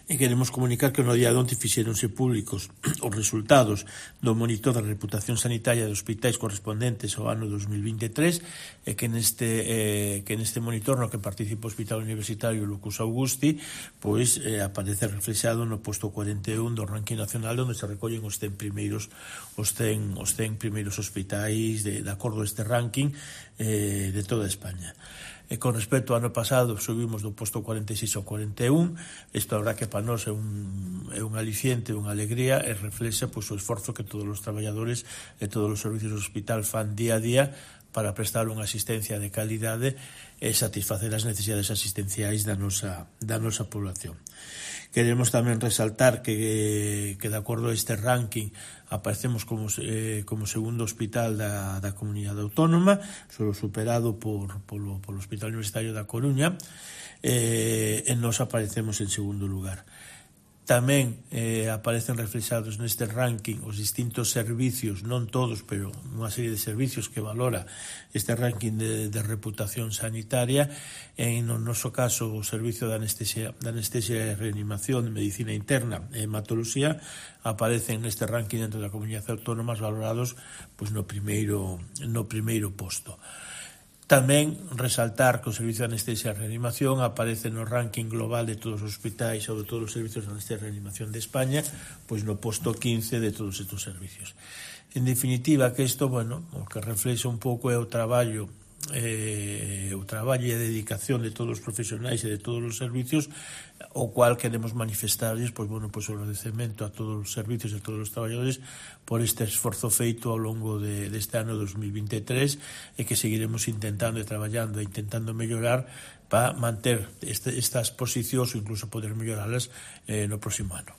E queremos comunicar que no día de onte fixéronse públicos os resultados do monitor da reputación sanitaria de hospitais correspondentes ao ano 2023 e que neste monitor no que participa o Hospital Universitario Lucus Augusti pois aparece reflexado no posto 41 do ranking nacional onde se recollen os 100 primeiros hospitais de acordo a este ranking de toda España. E con respecto ao ano pasado subimos do posto 46 ao 41. Isto a verdad que para nós é un aliciente, unha alegría e reflexa pois, o esforzo que todos os traballadores e todos os servicios do hospital fan día a día para prestar unha asistencia de calidade e satisfacer as necesidades asistenciais da nosa población. Queremos tamén resaltar que de acordo a este ranking aparecemos como segundo hospital da comunidade autónoma, solo superado polo Hospital Universitario da Coruña, e nos aparecemos en segundo lugar. Tamén aparecen reflexados neste ranking os distintos servicios, non todos, pero unha serie de servicios que valora este ranking de reputación sanitaria. En no noso caso, o servicio de anestesia e reanimación, de medicina interna e hematología aparecen neste ranking dentro da comunidade autónoma valorados pois, no primeiro posto. Tamén resaltar que o servicio de anestesia e reanimación aparece no ranking global de todos os hospitais ou de todos os servicios de anestesia e reanimación de España, pois no posto 15 de todos estes servicios. En definitiva, que isto, o que reflexa un pouco é o traballo e a dedicación de todos os profesionais e de todos os servicios, o cual queremos manifestarles o agradecemento a todos os servicios e a todos os traballadores por este esforzo feito ao longo deste ano 2023 e que seguiremos intentando e traballando e intentando mellorar para manter estas posicións ou incluso poder melloralas no próximo ano.